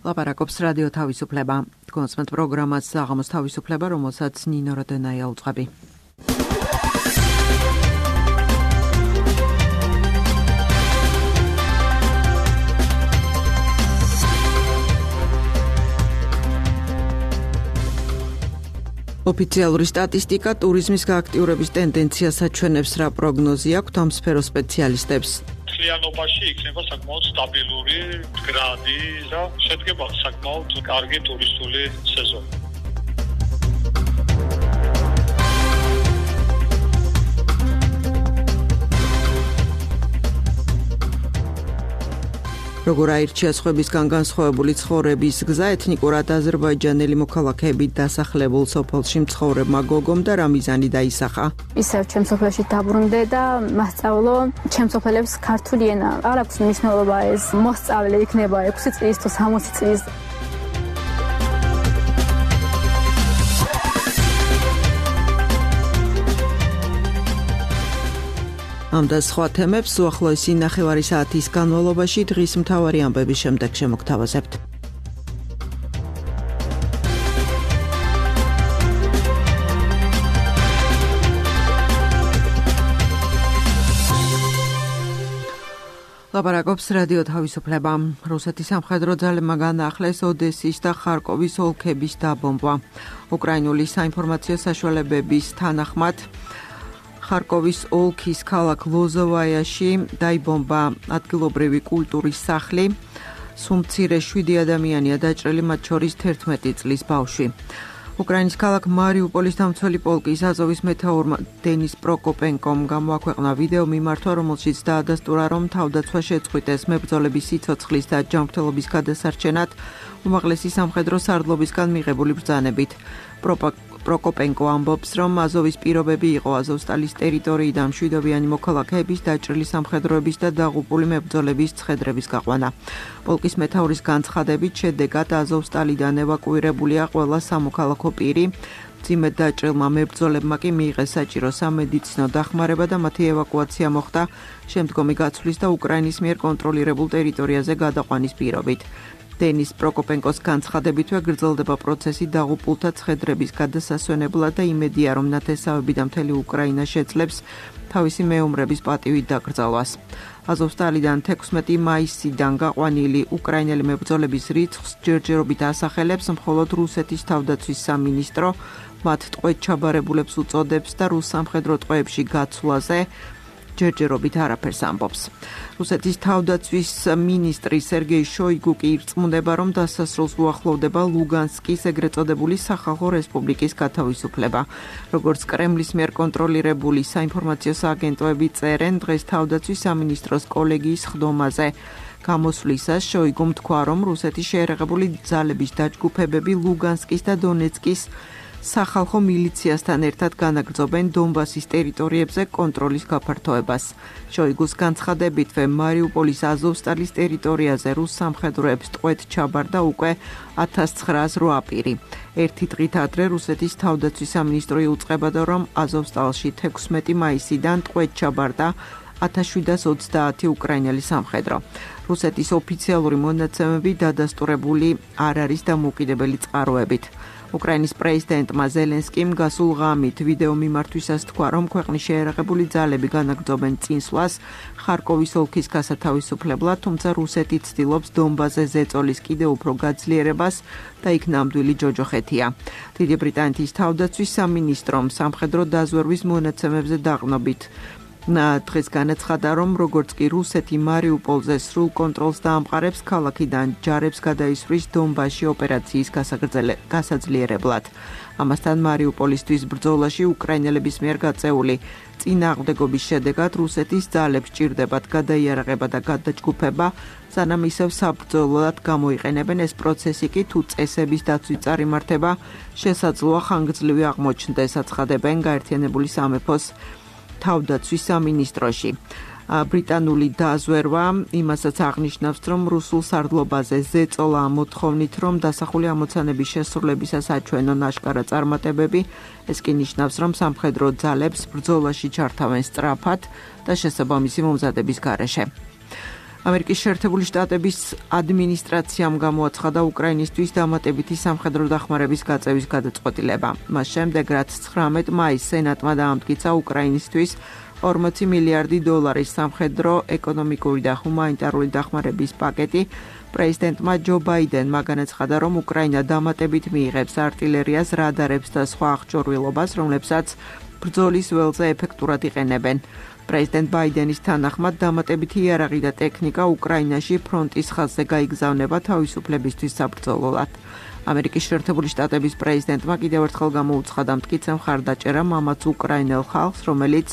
ლაპარაკობს რადიო თავისუფლება. კონსმეთ პროგრამას საღამოს თავისუფლება, რომელსაც ნინო როდენაია უძღვები. ოფიციალური სტატისტიკა ტურიზმის გააქტიურების ტენდენციას აჩვენებს, რა პროგნოზი აქვს ამ სფეროს სპეციალისტებს. მთლიანობაში იქნება საკმაოდ სტაბილური მდგრადი და შედგება საკმაოდ კარგი ტურისტული სეზონი. როგორ აირჩია სხვებისგან განსხვავებული ცხოვრების გზა ეთნიკურად აზერბაიჯანელი მოქალაქეებით დასახლებულ სოფელში მცხოვრებმა გოგომ და რა მიზანი დაისახა. ისევ ჩემ სოფელში დაბრუნდე და მასწავლო ჩემ სოფელებს ქართული ენა. არ აქვს მნიშვნელობა ეს მოსწავლე იქნება 6 წლის თუ 60 წლის. ამ და სხვა თემებს უახლოესი ნახევარი საათის განმავლობაში დღის მთავარი ამბების შემდეგ შემოგთავაზებთ. ლაპარაკობს რადიო თავისუფლება. რუსეთის სამხედრო ძალებმა განაახლეს ოდესის და ხარკოვის ოლქების დაბომბვა. უკრაინული საინფორმაციო საშუალებების თანახმად ხარკოვის ოლქის ქალაქ ლოზოვაიაში დაიბომბა ადგილობრივი კულტურის სახლი. სუმცირე 7 ადამიანია დაჭრილი, მათ შორის 11 წლის ბავშვი. უკრაინის ქალაქ მარიუპოლის დამცველი პოლკის აზოვის მეთაურმა დენის პროკოპენკომ გამოაქვეყნა ვიდეო მიმართვა, რომელშიც დაადასტურა, რომ თავდაცვა შეწყვიტეს მებრძოლების სიცოცხლის და ჯანმრთელობის გადასარჩენად უმაღლესი სამხედრო სარდლობისგან მიღებული ბრძანებით. პროკოპენკო ამბობს, რომ აზოვის პირობები იყო აზოვსტალის ტერიტორიიდან მშვიდობიანი მოქალაქეების დაჭრილი სამხედროების და დაღუპული მებრძოლების ცხედრების გაყვანა. პოლკის მეთაურის განცხადებით, შედეგად აზოვსტალიდან ევაკუირებულია ყველა სამოქალაქო პირი. მძიმედ დაჭრილმა მებრძოლებმა კი მიიღეს საჭირო სამედიცინო დახმარება და მათი ევაკუაცია მოხდა შემდგომი გაცვლის და უკრაინის მიერ კონტროლირებულ ტერიტორიაზე გადაყვანის პირობით. დენის პროკოპენკოს განცხადებითვე გრძელდება პროცესი დაღუპულთა ცხედრების გადასასვენებლად და იმედია, რომ ნათესავები და მთელი უკრაინა შეძლებს თავისი მეომრების პატივით დაკრძალვას. აზოვსტალიდან 16 მაისიდან გაყვანილი უკრაინელი მებრძოლების რიცხვს ჯერჯერობით ასახელებს მხოლოდ რუსეთის თავდაცვის სამინისტრო, მათ ტყვედ ჩაბარებულებს უწოდებს და რუს სამხედრო ტყვეებში გაცვლაზე ჯერჯერობით არაფერს ამბობს. რუსეთის თავდაცვის მინისტრი სერგეი შოიგუ კი ირწმუნება, რომ დასასრულს უახლოვდება ლუგანსკის ეგრეთ წოდებული სახალხო რესპუბლიკის გათავისუფლება. როგორც კრემლის მიერ კონტროლირებული საინფორმაციო სააგენტოები წერენ, დღეს თავდაცვის სამინისტროს კოლეგიის ხდომაზე გამოსვლისას შოიგუმ თქვა, რომ რუსეთის შეერაღებული ძალების დაჯგუფებები ლუგანსკის და დონეცკის სახალხო მილიციასთან ერთად განაგრძობენ დონბასის ტერიტორიებზე კონტროლის გაფართოებას. შოიგუს განცხადებითვე მარიუპოლის აზოვსტალის ტერიტორიაზე რუს სამხედროებს ტყვედ ჩაბარდა უკვე 1908 პირი. ერთი დღით ადრე რუსეთის თავდაცვის სამინისტრო იუწყებოდა, რომ აზოვსტალში 16 მაისიდან ტყვედ ჩაბარდა 1730 უკრაინელი სამხედრო. რუსეთის ოფიციალური მონაცემები დადასტურებული არ არის დამოუკიდებელი წყაროებით. უკრაინის პრეზიდენტმა ზელენსკიმ გასულ ღამით ვიდეო მიმართვისას თქვა, რომ ქვეყნის შეერაღებული ძალები განაგრძობენ წინსვლას ხარკოვის ოლქის გასათავისუფლებლად, თუმცა რუსეთი ცდილობს დონბასზე ზეწოლის კიდევ უფრო გაძლიერებას და იქ ნამდვილი ჯოჯოხეთია. დიდი ბრიტანეთის თავდაცვის სამინისტრომ სამხედრო დაზვერვის მონაცემებზე დაყრდნობით დღეს განაცხადა, რომ როგორც კი რუსეთი მარიუპოლზე სრულ კონტროლს დაამყარებს, ქალაქიდან ჯარებს გადაისვრის დონბასში ოპერაციის გასაძლიერებლად. ამასთან მარიუპოლისთვის ბრძოლაში უკრაინელების მიერ გაწეული წინააღმდეგობის შედეგად რუსეთის ძალებს ჭირდებათ გადაიარაღება და გადაჯგუფება, სანამ ისევ საბრძოლოდ გამოიყენებენ. ეს პროცესი კი თუ წესების დაცვით წარიმართება, შესაძლოა ხანგრძლივი აღმოჩნდეს, აცხადებენ გაერთიანებული სამეფოს თავდაცვის სამინისტროში. ბრიტანული დაზვერვა იმასაც აღნიშნავს, რომ რუსულ სარდლობაზე ზეწოლა მოთხოვნით, რომ დასახული ამოცანების შესრულებისას აჩვენონ აშკარა წარმატებები, ეს კი ნიშნავს, რომ სამხედრო ძალებს ბრძოლაში ჩართავენ სწრაფად და შესაბამისი მომზადების გარეშე. ამერიკის შეერთებული შტატების ადმინისტრაციამ გამოაცხადა უკრაინისთვის დამატებითი სამხედრო დახმარების გაწევის გადაწყვეტილება. მას შემდეგ, რაც 19 მაისს სენატმა დაამტკიცა უკრაინისთვის 40 მილიარდი დოლარის სამხედრო, ეკონომიკური და ჰუმანიტარული დახმარების პაკეტი, პრეზიდენტმა ჯო ბაიდენმა განაცხადა, რომ უკრაინა დამატებით მიიღებს არტილერიას, რადარებს და სხვა აღჭურვილობას, რომლებსაც ბრძოლის ველზე ეფექტურად იყენებენ. პრეზიდენტ ბაიდენის თანახმად დამატებითი იარაღი და ტექნიკა უკრაინაში ფრონტის ხაზზე გაიგზავნება თავისუფლებისთვის საბრძოლოდ. ამერიკის შეერთებული შტატების პრეზიდენტმა კიდევ ერთხელ გამოუცხადა მტკიცე მხარდაჭერა მამაც უკრაინელ ხალხს, რომელიც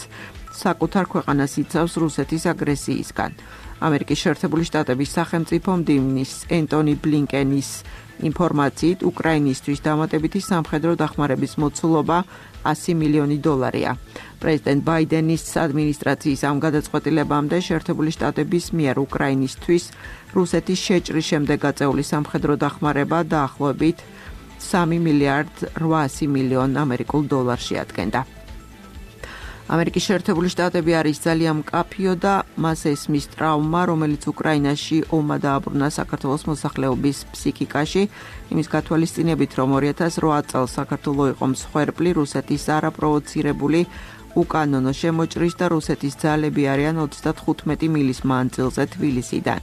საკუთარ ქვეყანას იცავს რუსეთის აგრესიისგან. ამერიკის შეერთებული შტატების სახელმწიფო მდივნის ენტონი ბლინკენის ინფორმაციით, უკრაინისთვის დამატებითი სამხედრო დახმარების მოცულობა 100 მილიონი დოლარია. პრეზიდენტ ბაიდენის ადმინისტრაციის ამ გადაწყვეტილებამდე შეერთებული შტატების მიერ უკრაინისთვის რუსეთის შეჭრის შემდეგ გაწეული სამხედრო დახმარება დაახლოებით 3 მილიარდ 800 მილიონ ამერიკულ დოლარს შეადგენდა. ამერიკის შეერთებული შტატები არის ძალიან მკაფიო და მას ესმის ტრავმა, რომელიც უკრაინაში ომმა დააბრუნა საქართველოს მოსახლეობის ფსიქიკაში, იმის გათვალისწინებით, რომ 2008 წელს საქართველო იყო მსხვერპლი რუსეთის არაპროვოცირებული უკანონო შემოჭრის და რუსეთის ძალები არიან 35 მილის მანძილზე თბილისიდან.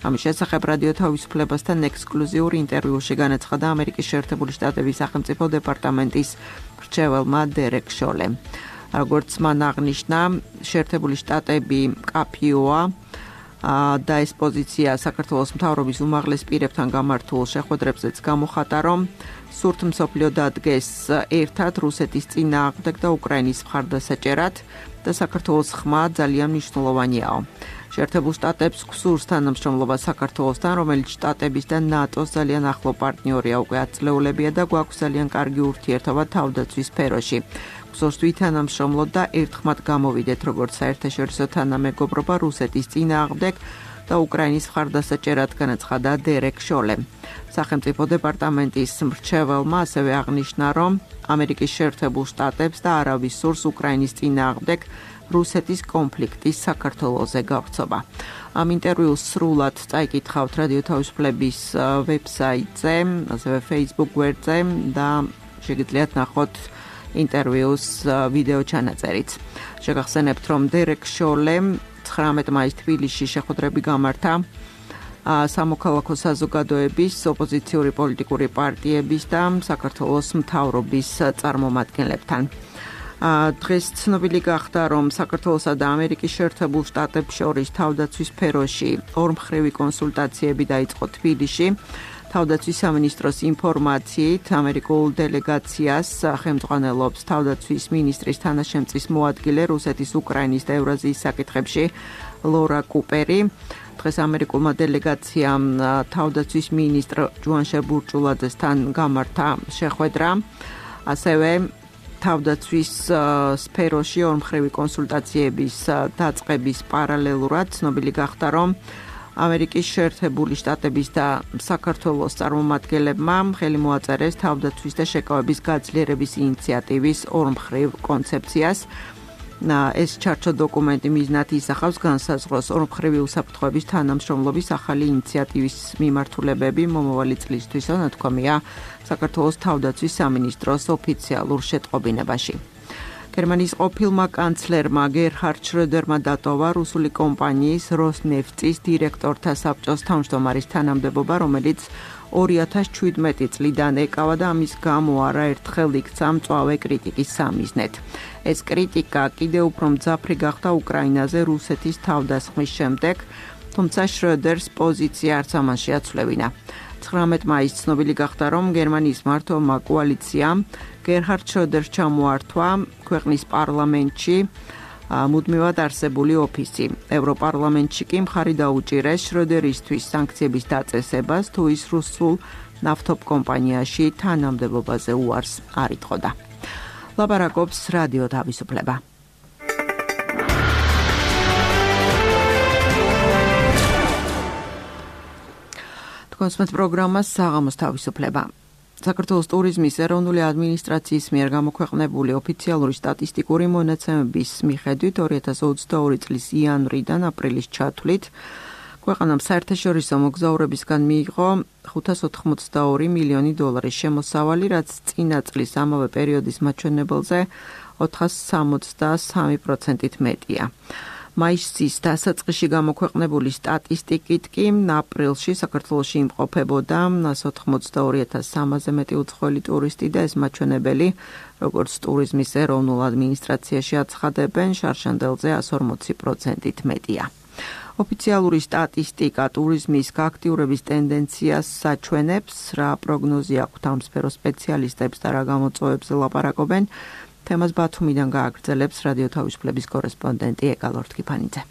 ამის შესახებ რადიო თავისუფლებასთან ექსკლუზიურ ინტერვიუში განაცხადა ამერიკის შეერთებული შტატების სახელმწიფო დეპარტამენტის მრჩეველმა დერეკ შოლემ. როგორც მან აღნიშნა, შეერთებული შტატები მკაფიოა და ეს პოზიცია საქართველოს მთავრობის უმაღლეს პირებთან გამართულ შეხვედრებზეც გამოხატა, რომ სურთ მსოფლიო დადგეს ერთად რუსეთის წინააღმდეგ და უკრაინის მხარდასაჭერად და საქართველოს ხმა ძალიან მნიშვნელოვანიაო. შეერთებულ შტატებს გვსურს თანამშრომლობა საქართველოსთან, რომელიც შტატების და ნატოს ძალიან ახლო პარტნიორია უკვე ათწლეულებია და გვაქვს ძალიან კარგი ურთიერთობა თავდაცვის სფეროში. გვსურს ვითანამშრომლოთ და ერთხმად გამოვიდეთ როგორც საერთაშორისო თანამეგობრობა რუსეთის წინააღმდეგ და უკრაინის მხარდასაჭერად, განაცხადა დერეკ შოლემ. სახელმწიფო დეპარტამენტის მრჩეველმა ასევე აღნიშნა, რომ ამერიკის შეერთებულ შტატებს და არავის სურს უკრაინის წინააღმდეგ რუსეთის კონფლიქტის საქართველოზე გავრცობა. ამ ინტერვიუს სრულად წაიკითხავთ რადიო თავისუფლების ვებსაიტზე, ასევე Facebook გვერდზე და შეგიძლიათ ნახოთ ინტერვიუს ვიდეო ჩანაწერიც. შეგახსენებთ, რომ დერეკ შოლემ 19 მაისს თბილისში შეხვედრები გამართა სამოქალაქო საზოგადოების, ოპოზიციური პოლიტიკური პარტიების და საქართველოს მთავრობის წარმომადგენლებთან. დღეს ცნობილი გახდა, რომ საქართველოსა და ამერიკის შეერთებულ შტატებს შორის თავდაცვის სფეროში ორმხრივი კონსულტაციები დაიწყო თბილისში. თავდაცვის სამინისტროს ინფორმაციით, ამერიკულ დელეგაციას ხელმძღვანელობს თავდაცვის მინისტრის თანაშემწის მოადგილე რუსეთის, უკრაინის და ევრაზიის საკითხებში ლორა კუპერი. დღეს ამერიკულმა დელეგაციამ თავდაცვის მინისტრ ჯუანშე ბურჭულაძესთან გამართა შეხვედრა. ასევე თავდაცვის სფეროში ორმხრივი კონსულტაციების დაწყების პარალელურად ცნობილი გახდა, რომ ამერიკის შეერთებული შტატების და საქართველოს წარმომადგენლებმა ხელი მოაწერეს თავდაცვის და შეკავების გაძლიერების ინიციატივის ორმხრივ კონცეფციას. ეს ჩარჩო დოკუმენტი მიზნად ისახავს განსაზღვროს ორმხრივი უსაფრთხოების თანამშრომლობის ახალი ინიციატივის მიმართულებები მომავალი წლისთვის, ნათქვამია საქართველოს თავდაცვის სამინისტროს ოფიციალურ შეტყობინებაში. გერმანიის ყოფილმა კანცლერმა გერჰარდ შროდერმა დატოვა რუსული კომპანიის როსნეფტის დირექტორთა საბჭოს თავმჯდომარის თანამდებობა, რომელიც 2017 წლიდან ეკავა და ამის გამო არაერთხელ იქცა მწვავე κρიტიკის სამიზნედ. ეს კრიტიკა კიდევ უფრო მძაფრი გახდა უკრაინაზე რუსეთის თავდასხმის შემდეგ, თუმცა შროდერს პოზიცია არც ამან შეაცვლევინა. 19 მაისს ცნობილი გახდა, რომ გერმანიის მმართველმა კოალიციამ გერჰარდ შროდერს ჩამოართვა ქვეყნის პარლამენტში მუდმივად არსებული ოფისი. ევროპარლამენტში კი მხარი დაუჭირეს შროდერისთვის სანქციების დაწესებას, თუ ის რუსულ ნავთობ კომპანიაში თანამდებობაზე უარს არ იტყოდა. ლაპარაკობს რადიო თავისუფლება. კონსმეთ პროგრამას საღამოს თავისუფლება. საქართველოს ტურიზმის ეროვნული ადმინისტრაციის მიერ გამოქვეყნებული ოფიციალური სტატისტიკური მონაცემების მიხედვით 2022 წლის იანვრიდან აპრილის ჩათვლით ქვეყანამ საერთაშორისო მოგზაურებისგან მიიღო 582 მილიონი დოლარის შემოსავალი, რაც წინა წლის ამავე პერიოდის მაჩვენებელზე 463%-ით მეტია. მაისის დასაწყისში გამოქვეყნებული სტატისტიკით კი აპრილში საქართველოში იმყოფებოდა 182,300-ზე მეტი უცხოელი ტურისტი და ეს მაჩვენებელი, როგორც ტურიზმის ეროვნულ ადმინისტრაციაში აცხადებენ, შარშანდელზე 140%-ით მეტია. ოფიციალური სტატისტიკა ტურიზმის გააქტიურების ტენდენციას საჩვენებს, რა პროგნოზი აქვთ ამ სფეროს სპეციალისტებს და რა გამოწვევებზე ლაპარაკობენ. თემას ბათუმიდან გააგრძელებს რადიო თავისუფლების კორესპონდენტი ეკალორთ კიფანიძე.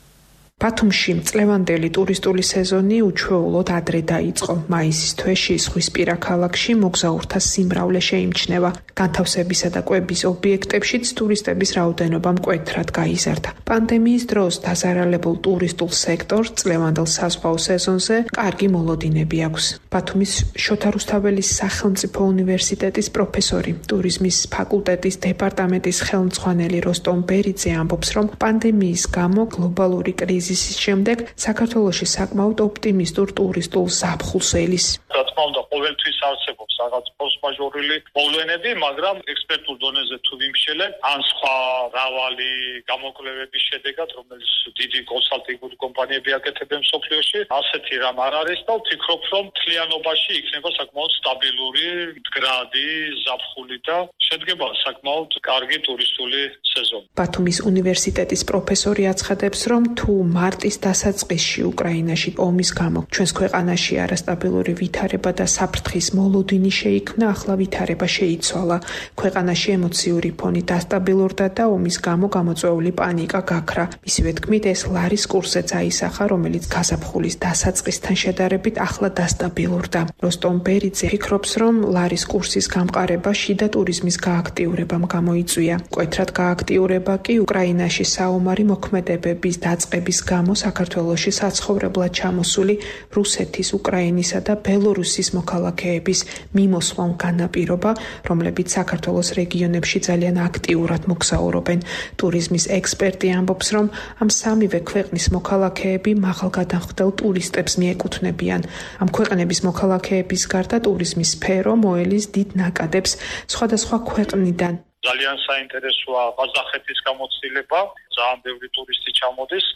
ბათუმში წლევანდელი ტურისტული სეზონი უჩვეულოდ ადრე დაიწყო. მაისის თვეში ზღვისპირა ქალაქში მოგზაურთა სიმრავლე შეიმჩნევა. განთავსებისა და კვების ობიექტებშიც ტურისტების რაოდენობა მკვეთრად გაიზარდა. პანდემიის დროს დაზარალებულ ტურისტულ სექტორს წლევანდელ საზღვაო სეზონზე კარგი მოლოდინები აქვს. ბათუმის შოთა რუსთაველის სახელმწიფო უნივერსიტეტის პროფესორი, ტურიზმის ფაკულტეტის დეპარტამენტის ხელმძღვანელი როსტომ ბერიძე ამბობს, რომ პანდემიის გამო გლობალური კრიზისის შემდეგ საქართველოში საკმაოდ ოპტიმისტურ ტურისტულ ზაფხულს ელის. რა თქმა უნდა, ყოველთვის არსებობს რაღაც ფორსმაჟორული მოვლენები, მაგრამ ექსპერტულ დონეზე თუ ვიმშელებ, ან სხვა მრავალი გამოკვლევების შედეგად, რომელიც დიდი კონსალტინგური კომპანიები აკეთებენ მსოფლიოში, ასეთი რამ არ არის და ვფიქრობ, რომ მთლიანობაში იქნება საკმაოდ სტაბილური, მდგრადი ზაფხული და შედგება საკმაოდ კარგი ტურისტული სეზონი. ბათუმის უნივერსიტეტის პროფესორი აცხადებს, რომ თუ მარტის დასაწყისში უკრაინაში ომის გამო ჩვენს ქვეყანაში არასტაბილური ვითარება და საფრთხის მოლოდინი შეიქმნა, ახლა ვითარება შეიცვალა. ქვეყანაში ემოციური ფონი დასტაბილურდა და ომის გამო გამოწვეული პანიკა გაქრა. მისივე თქმით, ეს ლარის კურსზე აისახა, რომელიც გაზაფხულის დასაწყისთან შედარებით ახლა დასტაბილურდა. როსტომ ბერიძე ფიქრობს, რომ ლარის კურსის გამყარება შიდა ტურიზმის გააქტიურებამ გამოიწვია. მკვეთრად გააქტიურება კი უკრაინაში საომარი მოქმედებების დაწყების გამო საქართველოში საცხოვრებლად ჩამოსული რუსეთის, უკრაინისა და ბელორუსის მოქალაქეების მიმოსვლამ განაპირობა, რომლებიც საქართველოს რეგიონებში ძალიან აქტიურად მოგზაურობენ. ტურიზმის ექსპერტი ამბობს, რომ ამ სამივე ქვეყნის მოქალაქეები მაღალგადახდელ ტურისტებს მიეკუთვნებიან. ამ ქვეყნების მოქალაქეების გარდა ტურიზმის სფერო მოელის დიდ ნაკადებს სხვადასხვა ქვეყნიდან. ძალიან საინტერესოა ყაზახეთის გამოცდილება, ძალიან ბევრი ტურისტი ჩამოდის.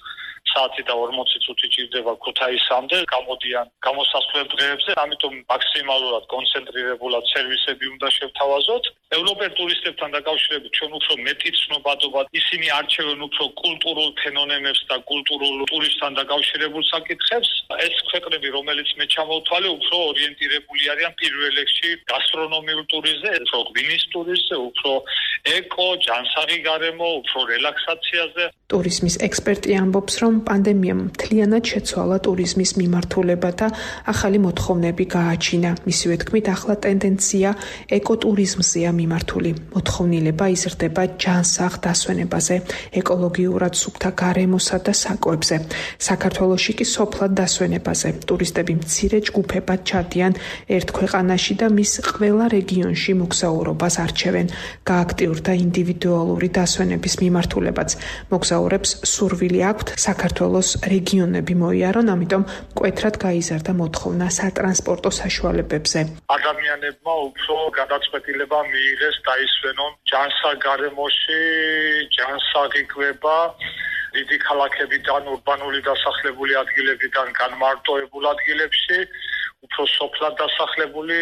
საათი და 40 წუთი ჭირდება ქუთაისამდე, გამოდიან გამოსასვლელ დღეებზე, ამიტომ მაქსიმალურად კონცენტრირებულად სერვისები უნდა შევთავაზოთ. ევროპელ ტურისტებთან დაკავშირებით ჩვენ უფრო მეტი ცნობადობა, ისინი არჩევენ უფრო კულტურულ ფენომენებს და კულტურულ ტურისტთან დაკავშირებულ საკითხებს. ეს ქვეყნები, რომელიც მე ჩამოვთვალე, უფრო ორიენტირებული არიან პირველ რიგში გასტრონომიურ ტურიზმზე, უფრო ღვინის ტურიზმზე, უფრო ეკო, ჯანსაღი გარემო, უფრო რელაქსაციაზე. ტურიზმის ექსპერტი ამბობს, რომ პანდემიამ მთლიანად შეცვალა ტურიზმის მიმართულება და ახალი მოთხოვნები გააჩინა. მისივე თქმით, ახლა ტენდენცია ეკოტურიზმზეა მიმართული. მოთხოვნილება იზრდება ჯანსაღ დასვენებაზე, ეკოლოგიურად სუფთა გარემოსა და საკვებზე. საქართველოში კი სოფლად დასვენებაზე. ტურისტები მცირე ჯგუფებად ჩადიან ერთ ქვეყანაში და მის ყველა რეგიონში მოგზაურობას არჩევენ. გააქტიურდა ინდივიდუალური დასვენების მიმართულებაც. მოგზაურებს სურვილი აქვთ საქართველოს რეგიონები მოიარონ, ამიტომ მკვეთრად გაიზარდა მოთხოვნა სატრანსპორტო საშუალებებზე. ადამიანებმა უფრო გადაწყვეტილება მიიღეს დაისვენონ ჯანსაღ გარემოში, ჯანსაღი კვება, დიდი ქალაქებიდან, ურბანული დასახლებული ადგილებიდან განმარტოებულ ადგილებში, უფრო სოფლად დასახლებული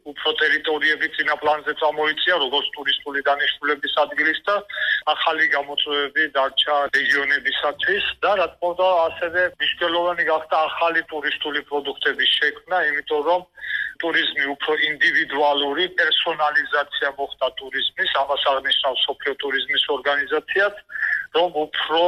უფრო ტერიტორიები წინა პლანზე წამოიწია, როგორც ტურისტული დანიშნულების ადგილის და ახალი გამოწვევები დარჩა რეგიონებისათვის და რა თქმა უნდა ასევე მნიშვნელოვანი გახდა ახალი ტურისტული პროდუქტების შექმნა, იმიტომ რომ ტურიზმი უფრო ინდივიდუალური პერსონალიზაცია მოხდა ტურიზმის, ამას აღნიშნავს სოფლიო ტურიზმის ორგანიზაციაც, რომ უფრო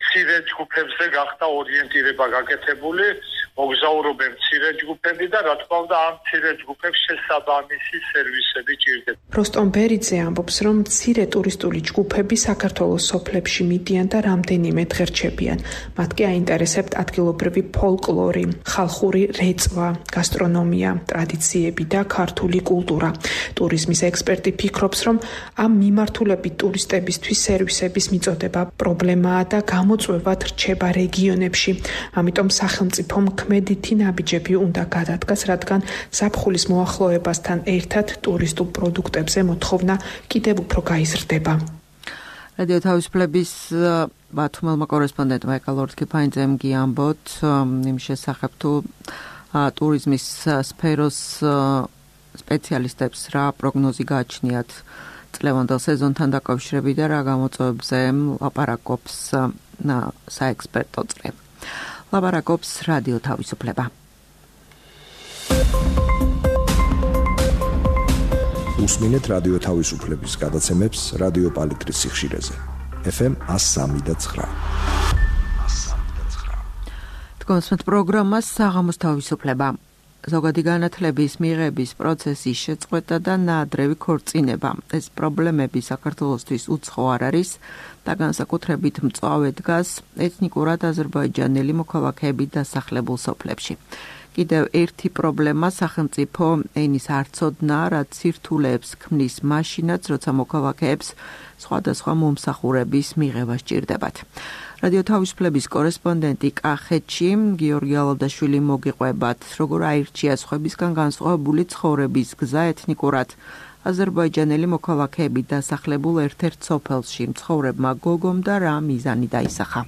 მცირე ჯგუფებზე გახდა ორიენტირება გაკეთებული, მოგზაურობენ მცირე ჯგუფები და რა თქმა უნდა ამ მცირე ჯგუფებს შესაბამისი სერვისები ჭირდება. როსტომ ბერიძე ამბობს, რომ მცირე ტურისტული ჯგუფები საქართველოს სოფლებში მიდიან და რამდენიმე დღე რჩებიან. მათ კი აინტერესებთ ადგილობრივი ფოლკლორი, ხალხური რეწვა, გასტრონომია, ტრადიციები და ქართული კულტურა. ტურიზმის ექსპერტი ფიქრობს, რომ ამ მიმართულებით ტურისტებისთვის სერვისების მიწოდება პრობლემაა და გამოწვევად რჩება რეგიონებში. ამიტომ სახელმწიფომ ქმედითი ნაბიჯები უნდა გადადგას, რადგან ზაფხულის მოახლოებასთან ერთად ტურისტულ პროდუქტებზე მოთხოვნა კიდევ უფრო გაიზრდება. რადიო თავისუფლების ბათუმელმა კორესპონდენტმა ეკალორთკიფაინძემ გიამბოთ იმ შესახებ თუ ტურიზმის სფეროს სპეციალისტებს რა პროგნოზი გააჩნიათ წლევანდელ სეზონთან დაკავშირებით და რა გამოწვევებზე ლაპარაკობს საექსპერტო წრე. ლაპარაკობს რადიო თავისუფლება. უსმინეთ რადიო თავისუფლების გადაცემებს რადიო პალიტრის სიხშირეზე. FM 103.9. თქვენს პროგრამას საღამოს თავისუფლება. ზოგადი განათლების მიღების პროცესის შეწყვეტა და ნაადრევი ქორწინება. ეს პრობლემები საქართველოსთვის უცხო არ არის და განსაკუთრებით მწვავე დგას ეთნიკურად აზერბაიჯანელი მოქალაქეებით დასახლებულ სოფლებში. კიდევ ერთი პრობლემა სახელმწიფო ენის არცოდნა, რაც სირთულეებს ქმნის მაშინაც, როცა მოქალაქეებს სხვადასხვა მომსახურების მიღება სჭირდებათ. რადიო თავისუფლების კორესპონდენტი კახეთში გიორგი ალავდაშვილი მოგიყვებათ, როგორ აირჩია სხვებისგან განსხვავებული ცხოვრების გზა ეთნიკურად აზერბაიჯანელი მოქალაქეებით დასახლებულ ერთ-ერთ სოფელში მცხოვრებმა გოგომ და რა მიზანი დაისახა.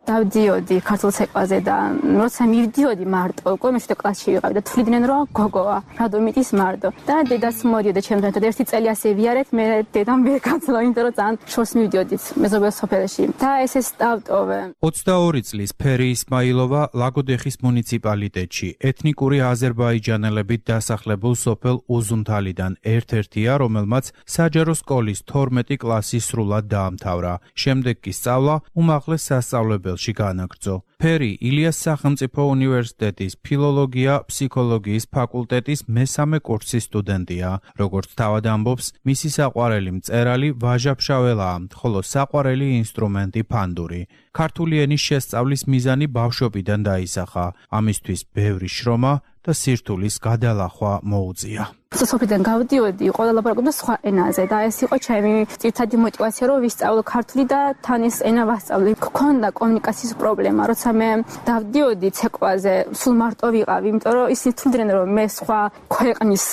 დავდიოდი ქართულ ცეკვაზე და როცა მივდიოდი მარტო, უკვე მე-7 კლასში ვიყავი და თვლიდნენ რომ გოგოა, რადომიტის მარტო. და დედაც მოდიოდა ჩემთან და ერთი წელი ასე ვიარეთ, მე დედამ ვერ განცლა, იმიტომ რომ ძალიან შორს მივდიოდით მეზობელ სოფელში. და ესე სტავტოვე. 22 წლის ფერი ისმაილოვა ლაგოდეხის მუნიციპალიტეტში ეთნიკური აზერბაიჯანელებით დასახლებულ სოფელ უზუნთალიდან ერთ-ერთია, რომელმაც საჯარო სკოლის 12 კლასი სრულად დაამთავრა. შემდეგ კი სწავლა უმაღლეს სასწავლებელში განაგრძო. ფერი ილიას სახელმწიფო უნივერსიტეტის ფილოლოგია-ფსიქოლოგიის ფაკულტეტის მესამე კურსის სტუდენტია. როგორც თავად ამბობს, მისი საყვარელი მწერალი ვაჟა-ფშაველაა, ხოლო საყვარელი ინსტრუმენტი ფანდური. ქართული ენის შესწავლის მიზანი ბავშვობიდან დაისახა. ამისთვის ბევრი შრომა და სირთულის გადალახვა მოუწია. სოფლიდან გავდიოდი, ყველა ლაპარაკობდა სხვა ენაზე და ეს იყო ჩემი ძირითადი мотиваცია, რომ ვისწავლო ქართული და თან ეს ენა ვასწავლე. გქონდა კომუნიკაციის პრობლემა, როცა მე დავდიოდი ცეკვაზე, სულ მარტო ვიყავი, იმიტომ რომ ისინი თვლიდნენ, რომ მე სხვა ქვეყნის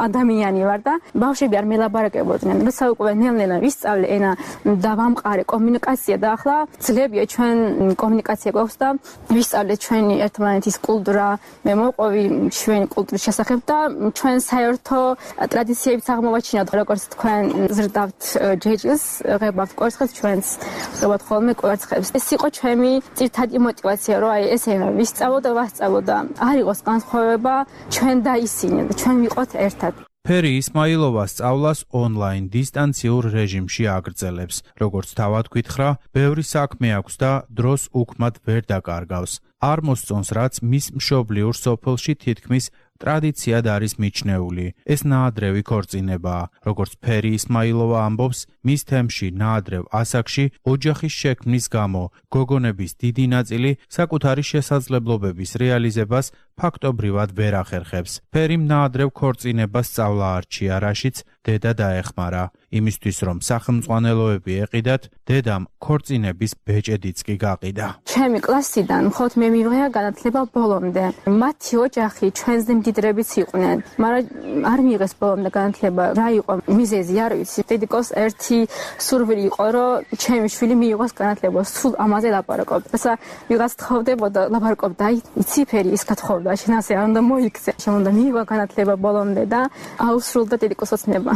ადამიანი ვარ და ბავშვები არ მელაპარაკებოდნენ. როცა უკვე ნელ-ნელა ვისწავლე ენა და ვამყარე კომუნიკაცია და ახლა ძლებია ჩვენ კომუნიკაცია გვაქვს და ვისწავლე ჩვენი ერთმანეთის კულტურა, მე მოყვი ჩვენი კულტურის შესახებ და ჩვენ საერთო ტრადიციებიც აღმოვაჩინოთ, როგორც თქვენ ზრდავთ ჯეჯილს, ღებავთ კვერცხებს, ჩვენც ღებავთ ხოლმე კვერცხებს. ეს იყო ჩემი ძირითადი мотиваცია, რომ აი ეს ენა ვისწავლო და ვასწავლო და არ იყოს განსხვავება ჩვენ და ისინი და ჩვენ ვიყოთ ერთად. ფერი ისმაილოვა სწავლას ონლაინ დისტანციურ რეჟიმში აგრძელებს. როგორც თავად გითხრა, ბევრი საქმე აქვს და დროს უქმად ვერ დაკარგავს. არ მოსწონს, რაც მის მშობლიურ სოფელში თითქმის ტრადიციად არის მიჩნეული. ეს ნაადრევი ქორწინებაა. როგორც ფერი ისმაილოვა ამბობს, მის თემში ნაადრევ ასაკში ოჯახის შექმნის გამო გოგონების დიდი ნაწილი საკუთარი შესაძლებლობების რეალიზებას ფაქტობრივად ვერ ახერხებს. ფერიმ ნაადრევ ქორწინებას სწავლა არჩია, რაშიც დედა დაეხმარა. იმისთვის რომ სახელმწიფოებები ეყიდათ, დედამ ქორწინების ბეჭედიც კი გაყიდა. ჩემი კლასიდან მხოლოდ მე მივიღია განათლება ბოლომდე. მათი ოჯახი ჩვენზე მდიდრებიც იყვნენ, მაგრამ არ მიიღეს ბოლომდე განათლება. რა იყო მიზეზი, არ ვიცი. დედიკოს ერთი სურვილი იყო, რომ ჩემი შვილი მიიღოს განათლება, სულ ამაზე ლაპარაკობდა. ესა ვიღაც თხოვდებოდა, ლაპარაკობდა, აი, იცი ფერი ის გათხოვდა, შენ ასე არ უნდა მოიქცე. შენ უნდა მიიღო განათლება ბოლომდე და აუსრულდა დედიკოს ოცნება.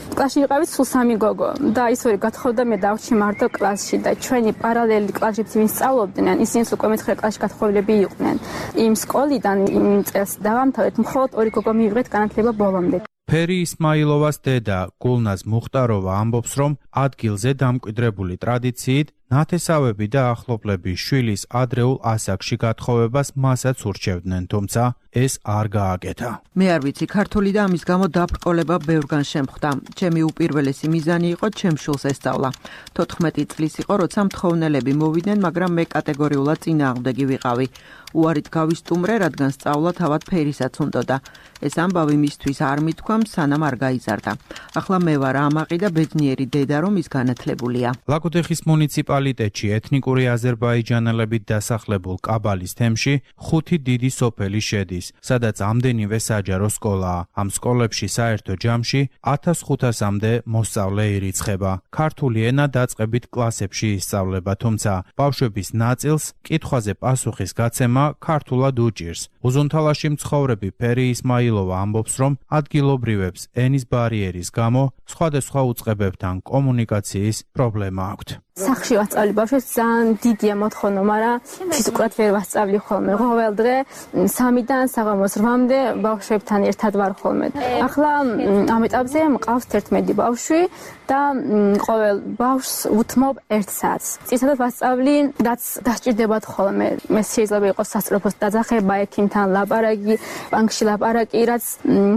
კლასში ვიყავით სულ 3 გოგო და ის ორი გათხოვდა, მე დავჭი მარტო კლასში და ჩვენი პარალელი კლასებში ვინც სწავლობდნენ, ისინი უკვე მე-9 კლასში გათხოვილები იყვნენ. იმ სკოლიდან იმ წელს დავამთავრეთ, მხოლოდ 2 გოგო მივიღეთ განათლება ბოლომდე. ფერი ისმაილოვას დედა გულნაზ მუხტაროვა ამბობს, რომ ადგილზე დამკვიდრებული ტრადიციით ნათესავები და ახლობლები შვილის ადრეულ ასაკში გათხოვებას მასაც ურჩევდნენ, თუმცა ეს არ გააკეთა. მე არ ვიცი, ქართული და ამის გამო დაბრკოლება ბევრგან შემხვდა. ჩემი უპირველესი მიზანი იყო ჩემ შვილს ესწავლა. 14 წლის იყო, როცა მთხოვნელები მოვიდნენ, მაგრამ მე კატეგორიულად წინააღმდეგი ვიყავი. უარით გავისტუმრე, რადგან სწავლა თავად ფერისაც უნდოდა. ეს ამბავი მისთვის არ მithქვამ, სანამ არ გაიზარდა. ახლა მე ვარ ამაყი და ბედნიერი დედა, რომ ის განათლებულია. ლაგოდეხის მუნიციპალიტეტში ეთნიკური აზერბაიჯანელებით დასახლებულ კაბალის თემში 5 დიდი სოფელი შედის, სადაც ამდენივე საჯარო სკოლაა. ამ სკოლებში საერთო ჯამში 1500-მდე მოსწავლე ირიცხება. ქართული ენა დაწყებით კლასებში ისწავლება, თუმცა ბავშვების ნაწილს კითხვაზე პასუხის გაცემა ქართულად უჭირს. უზუნთალაში მცხოვრები ფერი ისმაილოვა ამბობს, რომ ადგილობრივებს ენის ბარიერის გამო სხვადასხვა უწყებებთან კომუნიკაციის პრობლემა აქვთ. სახში ვასწავლი ბავშვებს ძალიან დიდია მოთხოვნა, მაგრამ ფიზიკურად ვერ ვასწავლი ხოლმე. ყოველ დღე 3-დან საღამოს 8-მდე ბავშვებთან ერთად ვარ ხოლმე. ახლა ამ ეტაპზე მყავს 11 ბავშვი და ყოველ ბავშვს უთმობ 1 საათს. წინასწარ ვასწავლი, რაც დასჭირდებათ ხოლმე. მე შეიძლება იყოს სასწრაფოს დაძახება, ექიმთან ლაპარაკი, ბანკში ლაპარაკი, რაც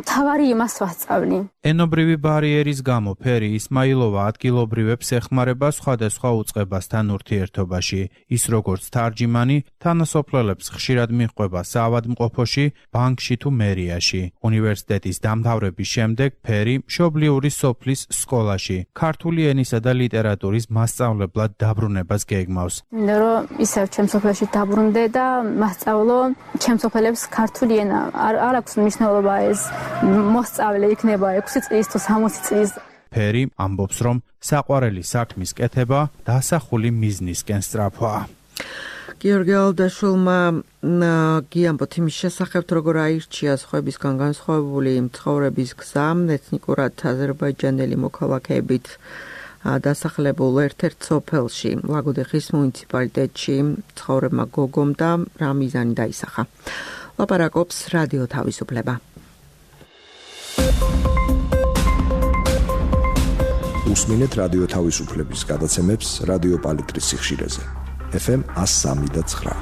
თავარი იმას ვასწავლი. ენობრივი ბარიერის გამო ფერი ისმაილოვა ადგილობრივებს ეხმარება სხვადასხვა უწყებასთან ურთიერთობაში. ის როგორც თარჯიმანი, თანასოფლელებს ხშირად მიჰყვება საავადმყოფოში, ბანკში თუ მერიაში. უნივერსიტეტის დამთავრების შემდეგ ფერი მშობლიური სოფლის სკოლაში ქართული ენისა და ლიტერატურის მასწავლებლად დაბრუნებას გეგმავს. მინდა რომ ისევ ჩემ სოფელში დაბრუნდე და მასწავლო ჩემ სოფელებს ქართული ენა. არ აქვს მნიშვნელობა ეს მოსწავლე იქნება 6 წლის თუ 60 წლის. ფერი ამბობს, რომ საყვარელი საქმის კეთება დასახული მიზნისკენ სწრაფვაა. გიორგი ალდაშვილმა გიამბოთ იმის შესახებ, როგორ აირჩია სხვებისგან განსხვავებული მცხოვრების გზა ეთნიკურად აზერბაიჯანელი მოქალაქეებით დასახლებულ ერთ-ერთ სოფელში, ლაგოდეხის მუნიციპალიტეტში მცხოვრებმა გოგომ და რა მიზანი დაისახა. ლაპარაკობს რადიო თავისუფლება. უსმინეთ რადიო თავისუფლების გადაცემებს რადიო პალიტრის სიხშირეზე. FM 103.9.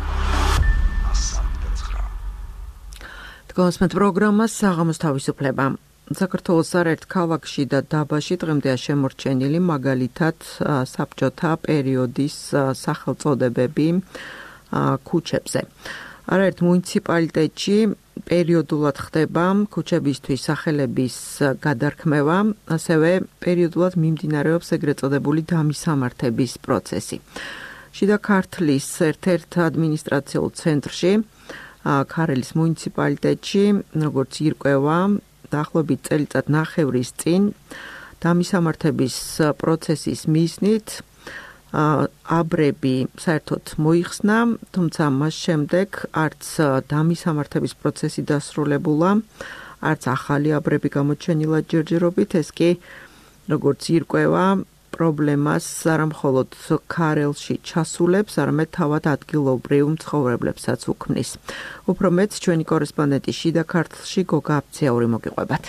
დგომასმეთ პროგრამას საღამოს თავისუფლება. საქართველოს არაერთ ქალაქში და დაბაში დღემდეა შემორჩენილი მაგალითად საბჭოთა პერიოდის სახელწოდებები ქუჩებზე. არაერთ მუნიციპალიტეტში პერიოდულად ხდება ქუჩებისთვის სახელების გადარქმევა, ასევე პერიოდულად მიმდინარეობს ეგრეთ წოდებული დამისამართების პროცესი. შიდა ქართლის ერთ-ერთ ადმინისტრაციულ ცენტრში, ქარელის მუნიციპალიტეტში, როგორც ირკვევა, დაახლოებით წელიწად ნახევრის წინ დამისამართების პროცესის მიზნით აბრები საერთოდ მოიხსნა, თუმცა მას შემდეგ არც დამისამართების პროცესი დასრულებულა, არც ახალი აბრები გამოჩენილა ჯერჯერობით, ეს კი როგორც ირკვევა პრობლემას არა მხოლოდ ქარელში ჩასულებს, არამედ თავად ადგილობრივ მცხოვრებლებსაც უქმნის. უფრო მეც ჩვენი კორესპონდენტი შიდა ქართლში გოგა აფციური მოგიყვებათ.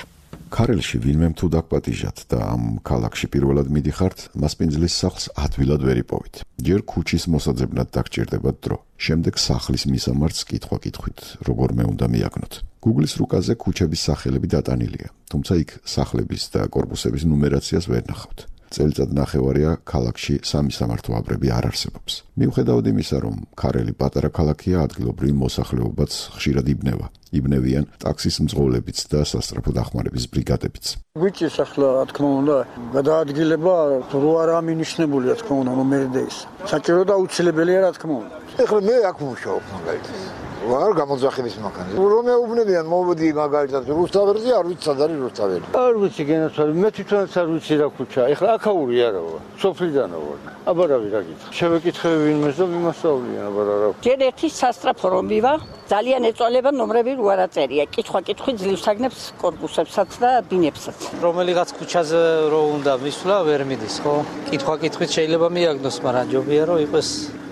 ქარელში ვინმე თუ დაგპატიჟათ და ამ ქალაქში პირველად მიდიხართ, მასპინძლის სახლს ადვილად ვერ იპოვით. ჯერ ქუჩის მოსაძებნად დაგჭირდებათ დრო, შემდეგ სახლის მისამართს კითხვა-კითხვით როგორმე უნდა მიაგნოთ. Google-ის რუკაზე ქუჩების სახელები დატანილია, თუმცა იქ სახლების და კორპუსების ნუმერაციას ვერ ნახავთ. წელიწად ნახევარია ქალაქში სამისამართო აბრები არ არსებობს. მიუხედავად იმისა, რომ ქარელი პატარა ქალაქია, ადგილობრივი მოსახლეობაც ხშირად იბნევა. იბნევიან ტაქსის მძღოლებიც და სასწრაფო დახმარების ბრიგადებიც. ვიჭის ახლა, რა თქმა უნდა, გადაადგილება რო არა მინიშნებულია, რა თქმა უნდა, მომერდეის. საჭირო და აუცილებელია, რა თქმა უნდა. ეხლა მე აქ ვმუშაობ მაგალითად. არ გამოძახების მანქანაზე. რომ მეუბნებიან მოვედი მაგალითად რუსთაველზე, არ ვიცი სად არის რუსთაველი. არ ვიცი გენაცვალე, მე თვითონაც არ ვიცი რა ქუჩაა. ეხლა აქაური არა ვარ, სოფლიდანო ვარ. აბარავი რა გითხრა. შევეკითხები ვინმეს და ვიმასწავლიან, აბარა რა. ჯერ ერთი სასტრაფო რომ მივა, ძალიან ეწოლება ნომრები რო არ აწერია. კითხვა-კითხვი ძლივს აგნებს კორპუსებსაც და ბინებსაც. რომელიღაც ქუჩაზე რო უნდა მისვლა, ვერ მიდის, ხო? კითხვა-კითხვით შეიძლება მიაგნოს, მაგრამ ჯობია რომ იყოს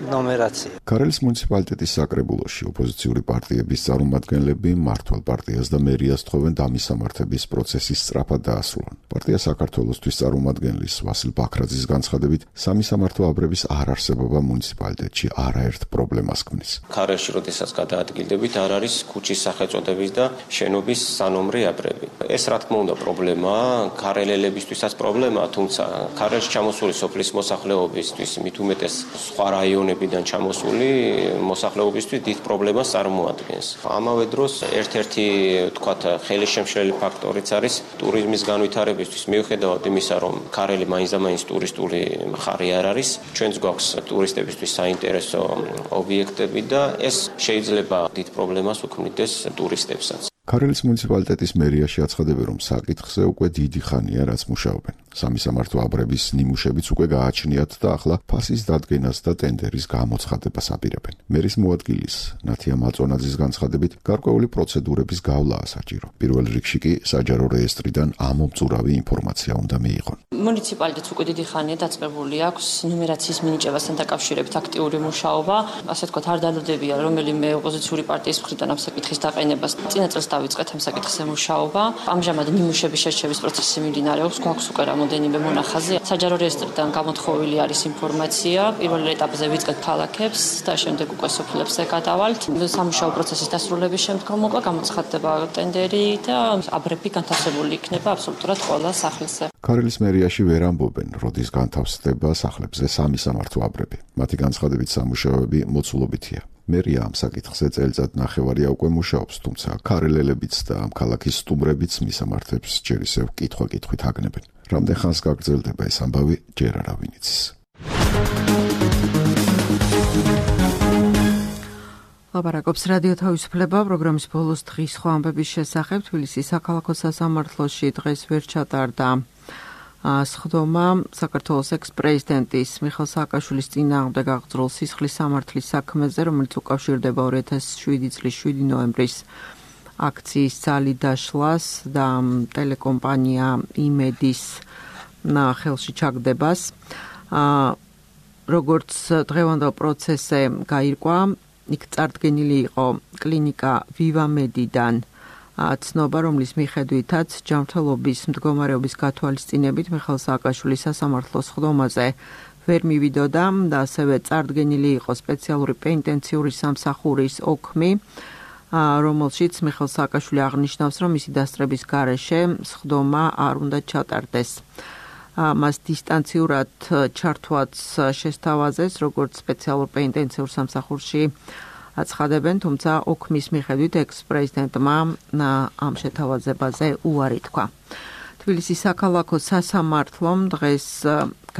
ნომერაცია. ქარელის მუნიციპალიტეტის საკრებულოში ოპოზიციური პარტიების წარმომადგენლები მმართველ პარტიას და მერიას თხოვენ დამისამართების პროცესის სწრაფად დაასრულონ. პარტია საქართველოსთვის წარმომადგენლის ვასილ ბაქრაძის განცხადებით, სამისამართო აბრების არ არსებობა მუნიციპალიტეტში არაერთ პრობლემას ქმნის. ქარელში როდესაც გადაადგილდებით, არ არის ქუჩის სახელწოდების და შენობის სანომრე აბრები. ეს რა თქმა უნდა პრობლემაა, ქარელელებისთვისაც პრობლემაა, თუმცა ქარელში ჩამოსული სოფლის მოსახლეობისთვის, მით უმეტეს სხვა რაიონებიდან ჩამოსული მოსახლეობისთვის დიდ პრობლემას წარმოადგენს. ამავე დროს ერთ-ერთი თქვათ ხელისშემშლელი ფაქტორიც არის ტურიზმის განვითარებისთვის, მიუხედავად იმისა, რომ ქარელი მაინც და მაინც ტურისტული მხარე არ არის, ჩვენც გვაქვს ტურისტებისთვის საინტერესო ობიექტები და ეს შეიძლება დიდ პრობლემას უქმნიდეს ტურისტებსაც. ქარელის მუნიციპალიტეტის მერიაში აცხადებენ, რომ საკითხზე უკვე დიდი ხანია რაც მუშაობენ. სამისამართო აბრების ნიმუშებიც უკვე გააჩნიათ და ახლა ფასის დადგენას და ტენდერის გამოცხადებას აპირებენ. მერის მოადგილის ნათია მაწონაძის განცხადებით, გარკვეული პროცედურების გავლაა საჭირო. პირველ რიგში კი საჯარო რეესტრიდან ამომწურავი ინფორმაცია უნდა მიიღონ. მუნიციპალიტეტს უკვე დიდი ხანია დაწყებული აქვს ნუმერაციის მინიჭებასთან დაკავშირებით აქტიური მუშაობა. ასე ვთქვათ, არ დალოდებია რომელიმე ოპოზიციური პარტიის მხრიდან ამ საკითხის დაყენებას. წინა წელს დავიწყეთ ამ საკითხზე მუშაობა. ამჟამად ნიმუშების შერჩევის პროცესი მიმდინარეობს, გვაქვს უკვე რამოდენიმე მონახაზი. საჯარო რეესტრიდან გამოთხოვილი არის ინფორმაცია. პირველ ეტაპზე ვიწყეთ ქალაქებს და შემდეგ უკვე სოფლებზე გადავალთ. სამუშაო პროცესის დასრულების შემდგომ უკვე გამოცხადდება ტენდერი და აბრები განთავსებული იქნება აბსოლუტურად ყველა სახლზე. ქარელის მერიაში ვერ ამბობენ, როდის განთავსდება სახლებზე სამისამართო აბრები. მათი განცხადებით სამუშაოები მოცულობითია. მერია ამ საკითხზე წელიწად ნახევარია უკვე მუშაობს, თუმცა ქარელელებიც და ამ ქალაქის სტუმრებიც მისამართებს ჯერ ისევ კითხვა-კითხვით აგნებენ. რამდენ ხანს გაგრძელდება ეს ამბავი, ჯერ არავინ იცის. ლაპარაკობს რადიო თავისუფლება პროგრამის ბოლოს დღის სხვა ამბების შესახებ. თბილისის საქალაქო სასამართლოში დღეს ვერ ჩატარდა სხდომა საქართველოს ექს-პრეზიდენტის მიხეილ სააკაშვილის წინააღმდეგ აღძრულ სისხლის სამართლის საქმეზე, რომელიც უკავშირდება 2007 წლის 7 ნოემბრის აქციის ძალით დაშლას და ტელეკომპანია იმედის ხელში ჩაგდებას. როგორც დღევანდელ პროცესზე გაირკვა, იქ წარდგენილი იყო კლინიკა ვივამედიდან ცნობა, რომლის მიხედვითაც ჯანმრთელობის მდგომარეობის გათვალისწინებით მიხეილ სააკაშვილის სასამართლოს სხდომაზე ვერ მივიდოდა და ასევე წარდგენილი იყო სპეციალური პენიტენციური სამსახურის ოქმი, რომელშიც მიხეილ სააკაშვილი აღნიშნავს, რომ მისი დასწრების გარეშე სხდომა არ უნდა ჩატარდეს. მას დისტანციურად ჩართვაც შესთავაზეს, როგორც სპეციალურ პენიტენციურ სამსახურში აცხადებენ, თუმცა ოქმის მიხედვით ექს-პრეზიდენტმა ამ შეთავაზებაზე უარი თქვა. თბილისის საქალაქო სასამართლომ დღეს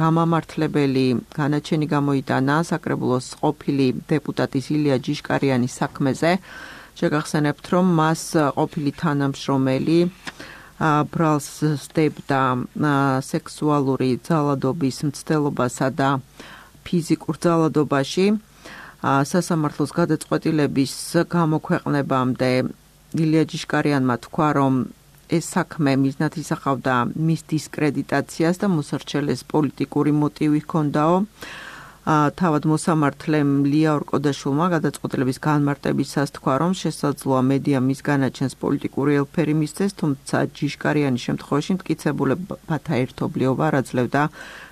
გამამართლებელი განაჩენი გამოიტანა საკრებულოს ყოფილი დეპუტატის ილია ჯიშკარიანის საქმეზე. შეგახსენებთ, რომ მას ყოფილი თანამშრომელი ბრალს სდებდა სექსუალური ძალადობის მცდელობასა და ფიზიკურ ძალადობაში. სასამართლოს გადაწყვეტილების გამოქვეყნებამდე ილია ჯიშკარიანმა თქვა, რომ ეს საქმე მიზნად ისახავდა მის დისკრედიტაციას და მოსარჩელეს პოლიტიკური მოტივი ჰქონდაო. თავად მოსამართლემ ლია ორკოდაშვილმა გადაწყვეტილების განმარტებისას თქვა, რომ შესაძლოა მედია მის განაჩენს პოლიტიკური ელფერი მისცეს, თუმცა ჯიშკარიანის შემთხვევაში მტკიცებულებათა ერთობლიობა არ აძლევდა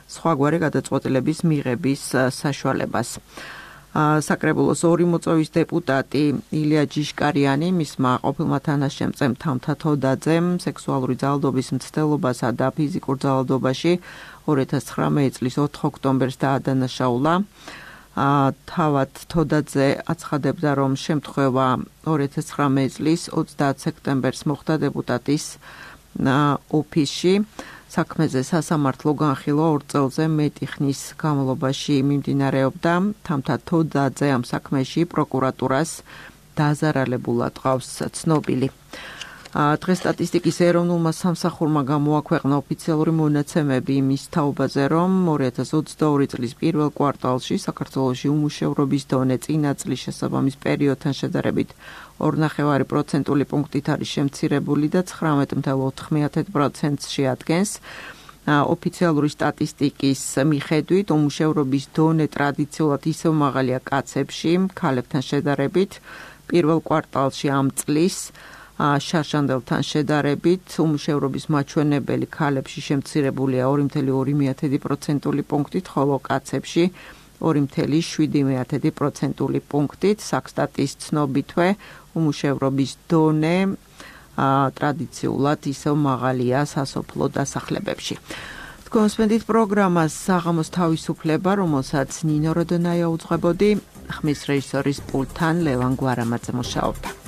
სხვაგვარი გადაწყვეტილების მიღების საშუალებას. საკრებულოს ორი მოწვევის დეპუტატი ილია ჯიშკარიანი მისმა ყოფილმა თანაშემწემ თამთა თოდაძემ სექსუალური ძალადობის მცდელობასა და ფიზიკურ ძალადობაში 2019 წლის 4 ოქტომბერს დაადანაშაულა. თავად თოდაძე აცხადებდა, რომ შემთხვევა 2019 წლის 30 სექტემბერს მოხდა დეპუტატის ოფისში. საქმეზე სასამართლო განხილვა 2 წელზე მეტი ხნის განმავლობაში მიმდინარეობდა. თამთა თოდაძე ამ საქმეში პროკურატურას დაზარალებულად ყავს ცნობილი. დღეს სტატისტიკის ეროვნულმა სამსახურმა გამოაქვეყნა ოფიციალური მონაცემები იმის თაობაზე, რომ 2022 წლის პირველ კვარტალში საქართველოში უმუშევრობის დონე წინა წლის შესაბამის პერიოდთან შედარებით 2,5% პუნქტით არის შემცირებული და 19,9%-ში ადგენს. ოფიციალური სტატისტიკის მიხედვით უმუშევრობის დონე ტრადიციულად ისევ მაღალია კაცებში, ქალებთან შედარებით. პირველ კვარტალში ამ წლის შარშანდელთან შედარებით უმუშევრობის მაჩვენებელი ქალებში შემცირებულია 2.2% პუნქტით, ხოლო კაცებში 2.7% პუნქტით. საქსტატის ცნობითვე უმუშევრობის დონე ტრადიციულად ისევ მაღალია სასოფლო დასახლებებში. კონსპენდით პროგრამას საღამოს თავისუფლება, რომელსაც ნინო როდონაია უძღვებოდი, ხმის რეჟისორის პულტთან ლევან გვარამაძე მუშაობდა.